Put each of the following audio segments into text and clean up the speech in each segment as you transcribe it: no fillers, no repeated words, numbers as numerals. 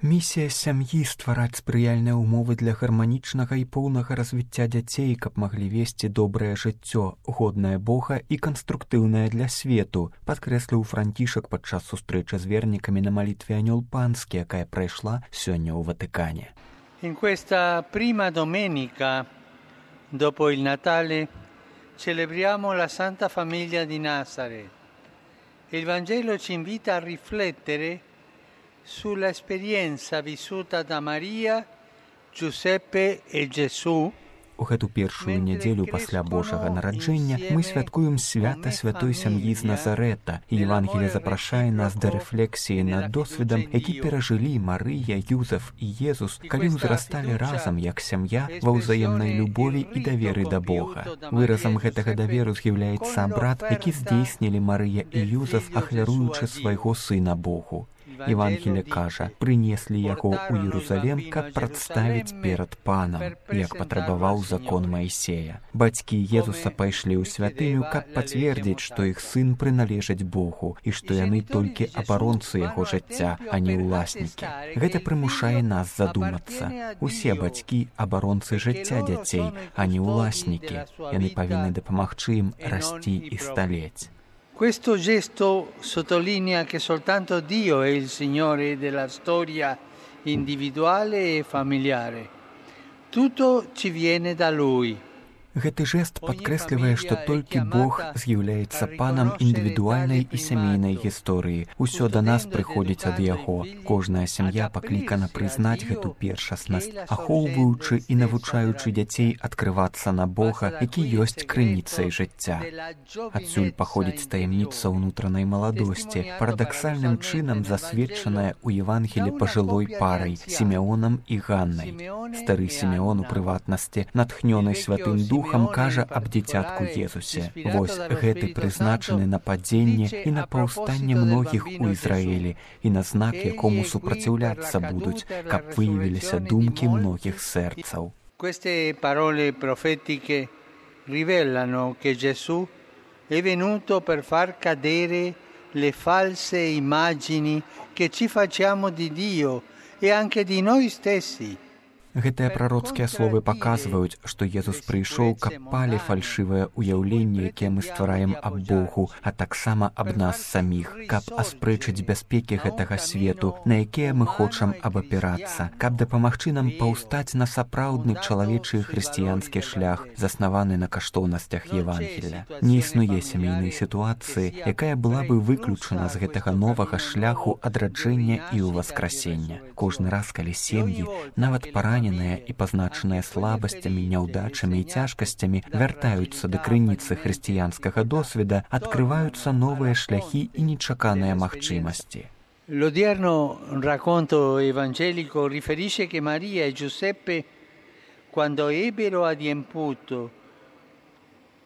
Місія сям'і ствараць спрыяльныя ўмовы для гарманічнага і поўнага развіцця дзяцей, каб маглі весці добрае жыццё, годнае Бога і канструктыўнае для свету, падкрэсліў Францішак падчас сустрэчы з вернікамі на малітве Анёл Панскі, якая прайшла сёння ў Ватыкане. In questa prima domenica dopo il Natale celebriamo la Santa Famiglia di Nazareth. Il Vangelo ci invita a riflettere sulla esperienza vissuta da Maria, Giuseppe e Gesù. У гэту першую нядзелю пасля Божага нараджэння мы святкуем свята святой сям'і з Назарэта, і Евангелие запрашае нас да рэфлексіі над досведам, які перажылі Марыя, Юзеф і Езус, калі ўзрасталі разам як сям'я ва ўзаемнай любові і даверы да Бога. Выразам гэтага даверу з'яўляецца абрад, які здзейснілі Марыя і Юзеф, ахвяруючы свайго сына Богу. Евангелие кажа, прынеслі яго ў Єрусалем, каб прадставіць перад Панам, як патрабаваў закон Маісея. Бацькі Езуса пайшлі ў святыню, каб пацвердзіць, што іх сын прыналежыць Богу і што яны толькі абаронцы яго жыцця, а не ўласнікі. Гэта прымушае нас задумацца. Усе бацькі абаронцы жыцця дзяцей, а не ўласнікі. Яны павінны дапамагчы ім расці і сталець. Questo gesto sottolinea che soltanto Dio è il Signore della storia individuale e familiare. Tutto ci viene da Lui. Гэты жэст падкрэслівае, што толькі Бог з'яўляецца панам індывідуальнай і сямейнай гісторыі. Усё да нас прыходзіць ад Яго. Кожная сям'я паклікана прызнаць гэту першаснасць, ахоўваючы і навучаючы дзяцей адкрывацца на Бога, які ёсць крыніцай жыцця. Адсюль паходзіць таямніца ўнутранай маладосці, парадаксальным чынам засведчаная ў Евангелі пажылой парай Сімеонам і Ганнай. Стары Сімеон, у прыватнасці, натхнёны Святым Духам, кажа аб дзіцятку Езусе. Вось гэты прызначаны на падзенне і на паўстанне многіх у Ізраілі і на знак, якому супраціўляцца будуць, каб выявіліся думкі многіх сэрцаў. Queste parole profetiche rivelano che Gesù è venuto per far cadere le false immagini che ci facciamo di Dio e anche di noi stessi. Гэтыя прароцкія словы паказваюць, што Езус прыйшоў, каб палі фальшывае ўяўленне, якія мы ствараем аб Богу, а таксама аб нас саміх, каб аспрэчыць бяспекі гэтага свету, на якія мы хочам абапірацца, каб дапамагчы нам паўстаць на сапраўдны чалавечы хрысціянскі шлях, заснаваны на каштоўнасцях Евангелія. Не існуе сямейнай сітуацыі, якая была бы выключана з гэтага новага шляху адраджэння і ўваскрасення. Кожны раз, калі сем'і, нават параненыя і пазначаныя слабасцямі, няўдачамі і цяжкасцямі вяртаюцца да крыніцы хрысціянскага досведа, адкрываюцца новыя шляхі і нечаканыя магчымасці. L'odierno racconto evangelico riferisce che Maria e Giuseppe, quando ebbero adempiuto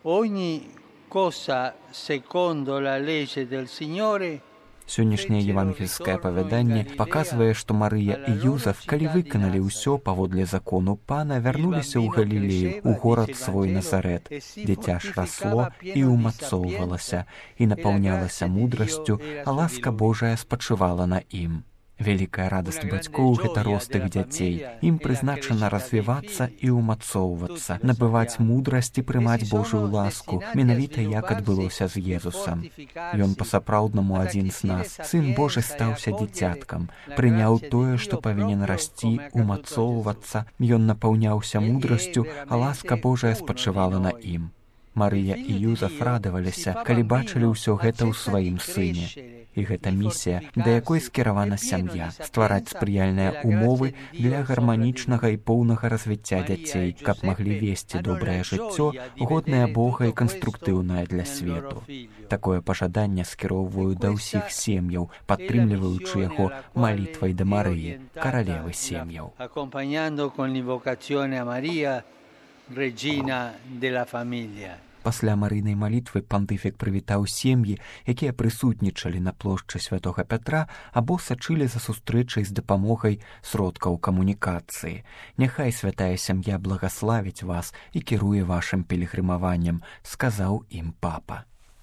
ogni cosa secondo la legge del Signore, Сённяшняе евангельскае апавяданне паказвае, што Марыя і Юзеф, калі выканалі ўсё паводле закону Пана, вярнуліся ў Галілею, у горад свой Назарэт. Дзіця ж расло і ўмацоўвалася, і напаўнялася мудрасцю, а ласка Божая спачывала на ім. Вялікая радасць бацькоў – гэта рост іх дзяцей. Ім прызначана развівацца і ўмацоўвацца, набываць мудрасць і прымаць Божую ласку, менавіта як адбылося з Езусам. Ён па-сапраўднаму адзін з нас. Сын Божы стаўся дзіцяткам, прыняў тое, што павінен расці, умацоўвацца. Ён напаўняўся мудрасцю, а ласка Божая спачывала на ім. Марыя і Юзеф радаваліся, калі бачылі ўсё гэта ў сваім сыне. І гэта місія, да якой скіравана сям'я, ствараць спрыяльныя ўмовы для гарманічнага і поўнага развіцця дзяцей, каб маглі весці добрае жыццё, годнае Бога і канструктыўнае для свету. Такое пажаданне скіроўваю да ўсіх сем'яў, падтрымліваючы яго малітвай да Марыі, каралевы сем'яў. Accompagnando con l'invocazione a Maria, regina della famiglia. Пасля марыйнай малітвы пантыфік прывітаў сем'і, якія прысутнічалі на плошчы святога Пятра або сачылі за сустрэчай з дапамогай сродкаў камунікацыі. Няхай святая сям'я благаславіць вас і кіруе вашым пілігрымаваннем, сказаў ім папа.